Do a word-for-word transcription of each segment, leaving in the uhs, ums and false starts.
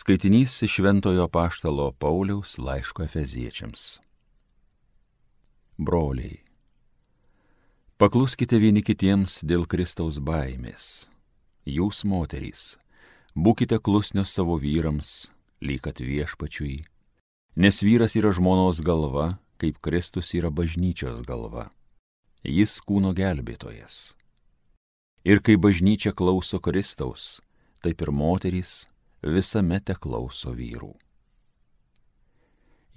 Skaitinys iš Šventojo Apaštalo Pauliaus laiško Efeziečiams. Broliai, pakluskite vieni kitiems dėl Kristaus baimės. Jūs, moterys, būkite klusnios savo vyrams, lyg kad viešpačiui, nes vyras yra žmonos galva, kaip Kristus yra bažnyčios galva. Jis kūno gelbėtojas. Ir kai bažnyčia klauso Kristaus, taip ir moterys visame te klauso vyrų.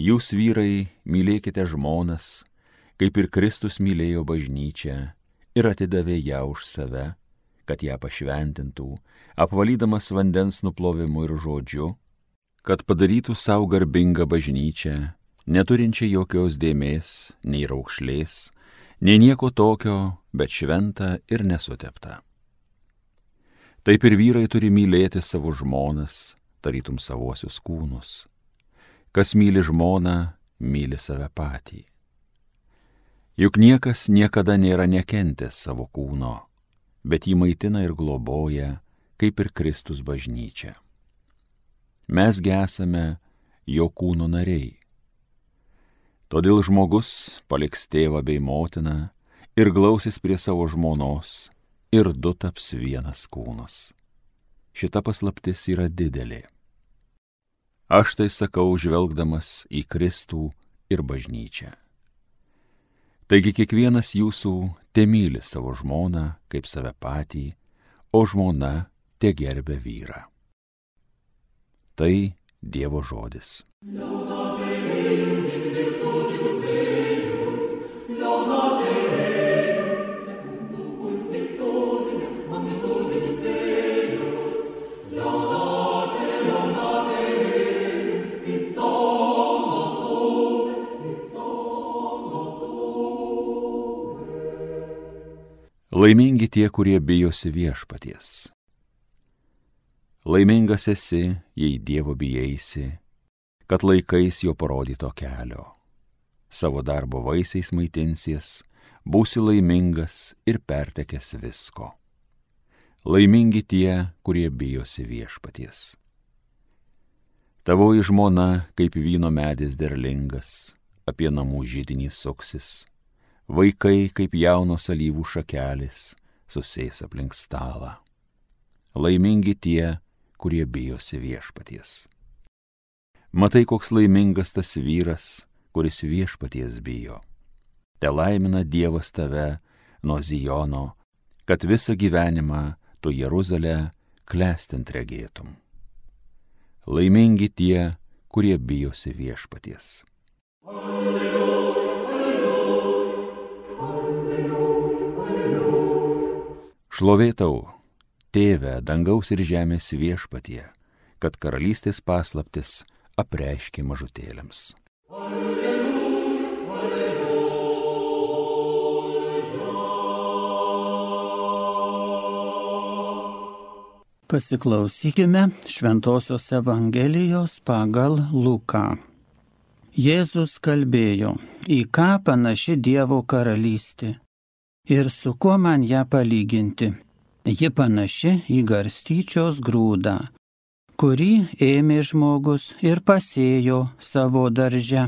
Jūs, vyrai, mylėkite žmonas, kaip ir Kristus mylėjo bažnyčią ir atidavė ją už save, kad ją pašventintų, apvalydamas vandens nuplovimu ir žodžiu, kad padarytų savo garbingą bažnyčią, neturinčią jokios dėmės, nei raukšlės, nei nieko tokio, bet šventą ir nesuteptą. Taip ir vyrai turi mylėti savo žmonas, tarytum savosius kūnus. Kas myli žmoną, myli save patį. Juk niekas niekada nėra nekentęs savo kūno, bet jį maitina ir globoja, kaip ir Kristus bažnyčia. Mesgi esame jo kūno nariai. Todėl žmogus paliks tėvą bei motiną ir glausis prie savo žmonos, ir du taps vienas kūnas. Šita paslaptis yra didelė. Aš tai sakau, žvelgdamas į Kristų ir bažnyčią. Taigi kiekvienas jūsų temyli savo žmoną kaip save patį, o žmona te gerbia vyrą. Tai Dievo žodis. Laimingi tie, kurie bijosi viešpaties. Laimingas esi, jei Dievo bijaisi, kad laikais jo parodyto kelio. Savo darbo vaisiais maitinsies, būsi laimingas ir pertekęs visko. Laimingi tie, kurie bijosi viešpaties. Tavoji žmona, kaip vyno medis derlingas, apie namų židinį suksis. Vaikai, kaip jaunos alyvų šakelės, susės aplink stalą. Laimingi tie, kurie bijosi viešpaties. Matai, koks laimingas tas vyras, kuris viešpaties bijo. Te laimina Dievas tave nuo Zijono, kad visą gyvenimą tu Jeruzalę klestint regėtum. Laimingi tie, kurie bijosi viešpaties. Alleluja. Šlovė tau, Tėve, dangaus ir žemės viešpatie, kad karalystės paslaptis apreiškė mažutėliams. Alleluja, alleluja. Pasiklausykime Šventosios Evangelijos pagal Luką. Jėzus kalbėjo, į ką panaši Dievo karalystė. Ir su kuo man ją palyginti? Ji panaši į garstyčios grūdą, kurį ėmė žmogus ir pasėjo savo darže.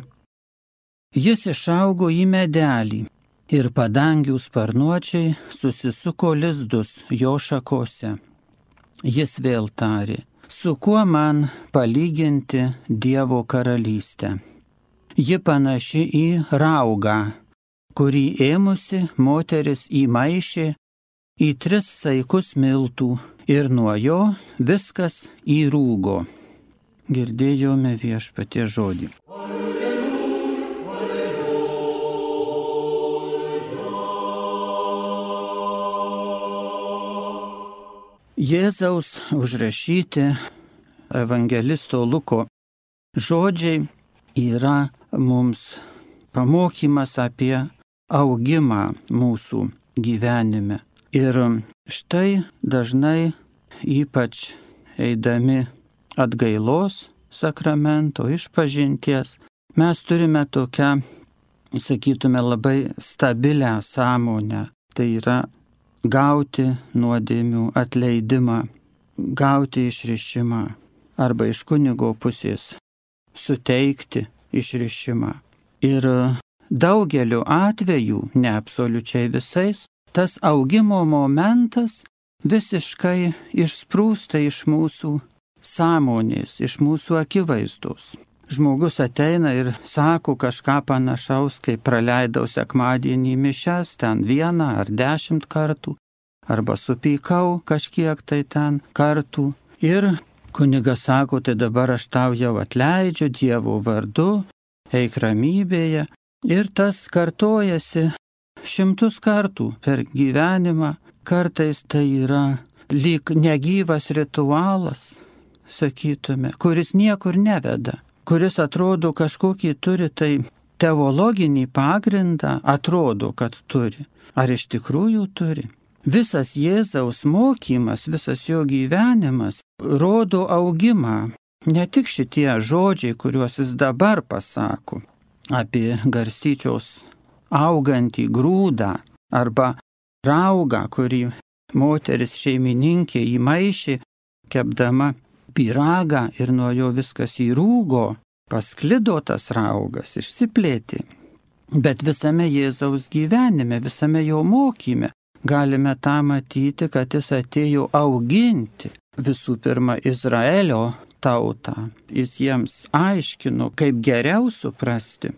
Jis išaugo į medelį ir padangių sparnuočiai susisuko lizdus jo šakose. Jis vėl tarė, su kuo man palyginti Dievo karalystę? Ji panaši į raugą, kurį ėmusi moteris įmaišė į tris saikus miltų ir nuo jo viskas įrūgo. Girdėjome viešpaties žodį. Alleluja, alleluja. Jėzaus užrašyti evangelisto Luko žodžiai yra mums pamokymas apie augimą mūsų gyvenime. Ir štai dažnai, ypač eidami atgailos sakramento išpažinties, mes turime tokią, sakytume, labai stabilią sąmonę. Tai yra gauti nuodėmių atleidimą, gauti išrišimą. arba iš kunigo pusės suteikti išrišimą. Ir daugeliu atvejų, ne absoliučiai visais, tas augimo momentas visiškai išsprūsta iš mūsų sąmonės, iš mūsų akivaizdos. Žmogus ateina ir sako kažką panašaus, kai praleidau sekmadienį mišias ten vieną ar dešimt kartų, arba supykau kažkiek tai ten kartų. Ir kunigas sako, tai dabar aš tau jau atleidžiu Dievo vardu, eik ramybėje. Ir tas kartojasi šimtus kartų per gyvenimą. Kartais tai yra lyg negyvas ritualas, sakytume, kuris niekur neveda, kuris atrodo kažkokį turi tai teologinį pagrindą, atrodo, kad turi. Ar iš tikrųjų turi? Visas Jėzaus mokymas, visas jo gyvenimas rodo augimą. Ne tik šitie žodžiai, kuriuos jis dabar pasako apie garstyčios augantį grūdą arba raugą, kurį moteris šeimininkė įmaišė, kepdama pyragą ir nuo jo viskas įrūgo, pasklido tas raugas, išsiplėtė. Bet visame Jėzaus gyvenime, visame jo mokyme galime tą matyti, kad jis atėjo auginti visų pirma Izraelio tautą. Jis jiems aiškino, kaip geriau suprasti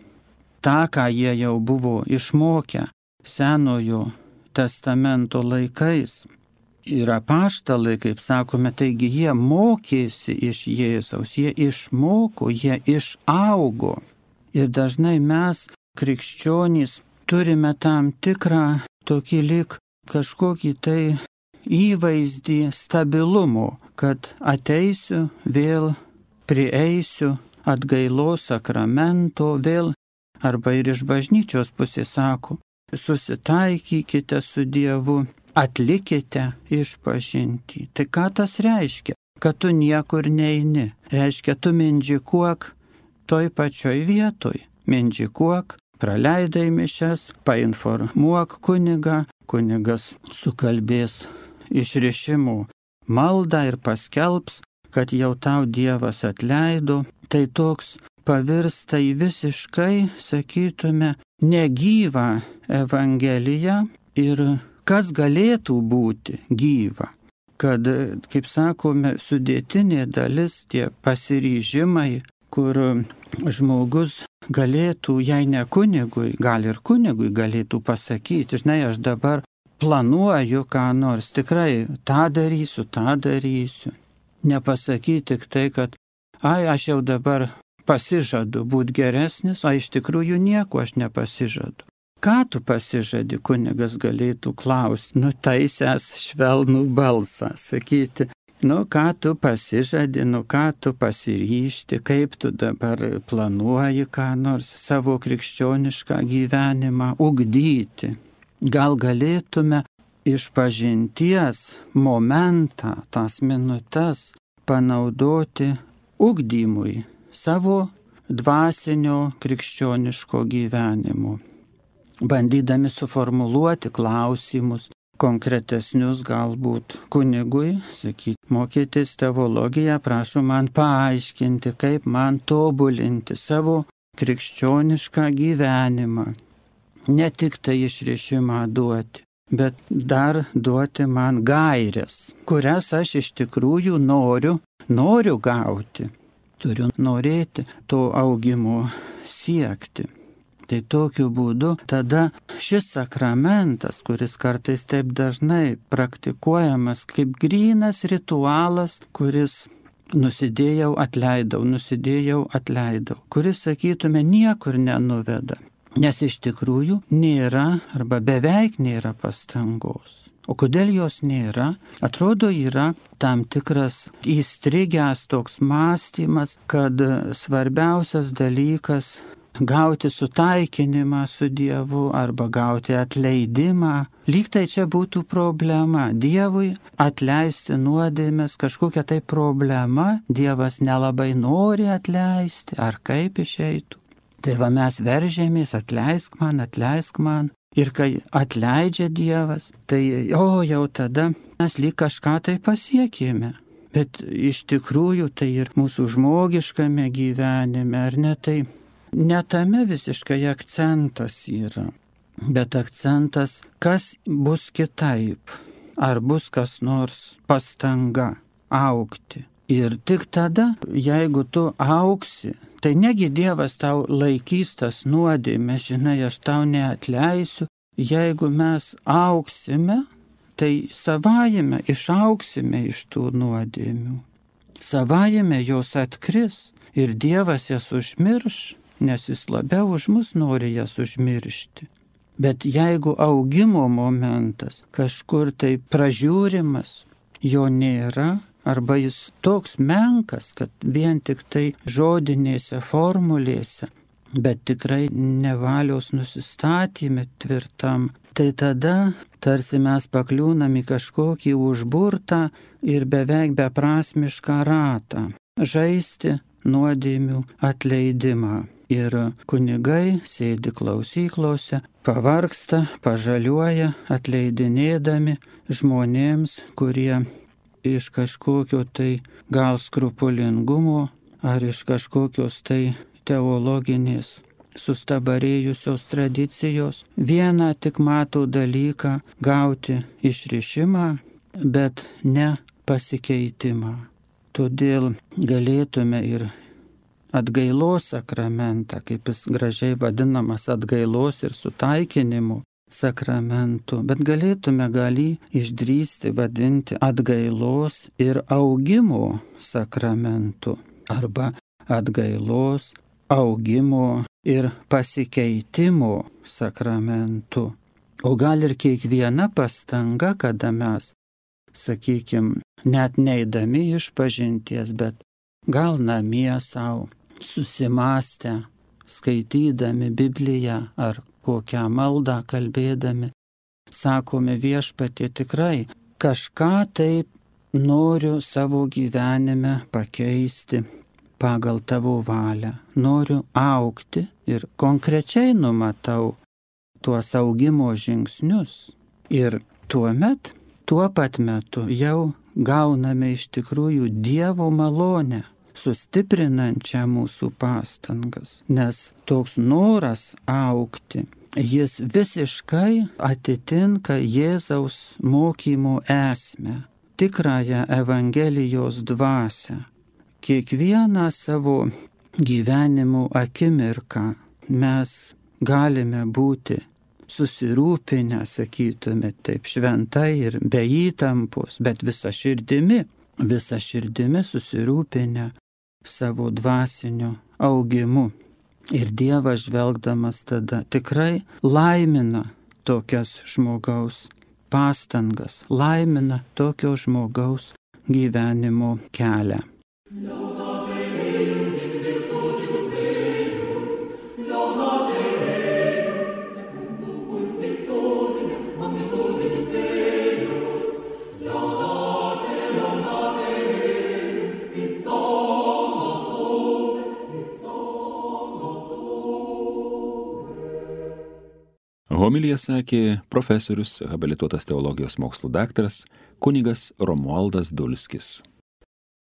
tą, ką jie jau buvo išmokę Senojo testamento laikais. Ir apaštalai, kaip sakome, taigi jie mokėsi iš Jėzaus, jie išmoko, jie išaugo. Ir dažnai mes, krikščionys, turime tam tikrą tokį lyg kažkokį tai įvaizdį stabilumo, kad ateisiu, vėl prieisiu atgailos sakramento, vėl, arba ir iš bažnyčios pusės sako, susitaikykite su Dievu, atlikite išpažintį. Tai ką tas reiškia? Kad tu niekur neini. Reiškia, tu mindžikuok toj pačioj vietoj. Mindžikuok, praleidai mišias, painformuok kunigą, kunigas sukalbės išrišimų maldą ir paskelbs, kad jau tau Dievas atleido. Tai toks pavirsta į visiškai, sakytume, negyvą evangeliją. Ir kas galėtų būti gyva? Kad, kaip sakome, sudėtinė dalis, tie pasiryžimai, kur žmogus galėtų, jei ne kunigui, gal ir kunigui galėtų pasakyti, žinai, aš dabar planuoju ką nors, tikrai tą darysiu, tą darysiu. Nepasakyti tik tai, kad, ai, aš jau dabar pasižadu būti geresnis, o iš tikrųjų nieko aš nepasižadu. Ką tu pasižadi, kunigas galėtų klausti, nutaisęs švelnų balsą, sakyti, nu ką tu pasižadi, nu ką tu pasiryžti, kaip tu dabar planuoji ką nors savo krikščionišką gyvenimą ugdyti. Gal galėtume išpažinties momentą, tas minutes panaudoti ugdymui savo dvasinio krikščioniško gyvenimo, bandydami suformuluoti klausimus, konkretesnius galbūt kunigui, sakyti, mokytis teologiją, prašau man paaiškinti, kaip man tobulinti savo krikščionišką gyvenimą. Ne tik tai išrišimą duoti, bet dar duoti man gaires, kurias aš iš tikrųjų noriu, noriu gauti. Turiu norėti to augimo siekti. Tai tokiu būdu tada šis sakramentas, kuris kartais taip dažnai praktikuojamas kaip grynas ritualas, kuris nusidėjau, atleidau, nusidėjau, atleidau, kuris, sakytume, niekur nenuveda. Nes iš tikrųjų nėra arba beveik nėra pastangos. O kodėl jos nėra? Atrodo, yra tam tikras įstrigęs toks mąstymas, kad svarbiausias dalykas gauti sutaikinimą su Dievu arba gauti atleidimą. Lyg tai čia būtų problema. Dievui atleisti nuodėmes, kažkokia tai problema. Dievas nelabai nori atleisti, ar kaip išeitų. Tai va mes veržėmės, atleisk man, atleisk man. Ir kai atleidžia Dievas, tai o jau tada mes lyg kažką tai pasiekėme. Bet iš tikrųjų tai ir mūsų žmogiškame gyvenime, ar ne, tai ne tame visiškai akcentas yra, bet akcentas, kas bus kitaip, ar bus kas nors pastanga augti. Ir tik tada, jeigu tu augsi, tai negi Dievas tau laikys tas nuodėmes, žinai, aš tau neatleisiu. Jeigu mes augsime, tai savajame išaugsime iš tų nuodėmių. Savajame jos atkris ir Dievas jas užmirš, nes jis labiau už mus nori jas užmiršti. Bet jeigu augimo momentas kažkur tai pražiūrimas, jo nėra, arba jis toks menkas, kad vien tik tai žodinėse formulėse, bet tikrai nevalios nusistatymė tvirtam, tai tada tarsi mes pakliūnam į kažkokį užburtą ir beveik beprasmišką ratą - žaisti nuodėmių atleidimą. Ir kunigai sėdi klausyklose, pavargsta, pažaliuoja, atleidinėdami žmonėms, kurie iš kažkokio tai gal skrupulingumo ar iš kažkokios tai teologinės sustabarėjusios tradicijos vieną tik mato dalyką - gauti išrišimą, bet ne pasikeitimą. Todėl galėtume ir atgailos sakramentą, kaip jis gražiai vadinamas atgailos ir sutaikinimo sakramentu, bet galėtume gali išdrįsti vadinti atgailos ir augimo sakramentu arba atgailos, augimo ir pasikeitimo sakramentu. O gal ir kiekviena pastanga, kada mes, sakykime, net neidami iš pažinties, bet gal namie savo susimastę, skaitydami Bibliją ar kokią maldą kalbėdami, sakome Viešpatie, tikrai kažką taip noriu savo gyvenime pakeisti pagal tavo valią. Noriu augti ir konkrečiai numatau tuos augimo žingsnius. Ir tuomet, tuo pat metu jau gauname iš tikrųjų Dievo malonę, sustiprinančią mūsų pastangas, nes toks noras augti, jis visiškai atitinka Jėzaus mokymo esmę, tikrąją Evangelijos dvasią. Kiekvieną savo gyvenimo akimirką mes galime būti susirūpinę, sakytume taip šventai ir be įtampos, bet visa širdimi, visa širdimi susirūpinę savo dvasiniu augimu. Ir Dievas žvelgdamas tada tikrai laimina tokias žmogaus pastangas, laimina tokio žmogaus gyvenimo kelią. Homiliją sakė profesorius, habilituotas teologijos mokslų daktaras kunigas Romualdas Dulskis.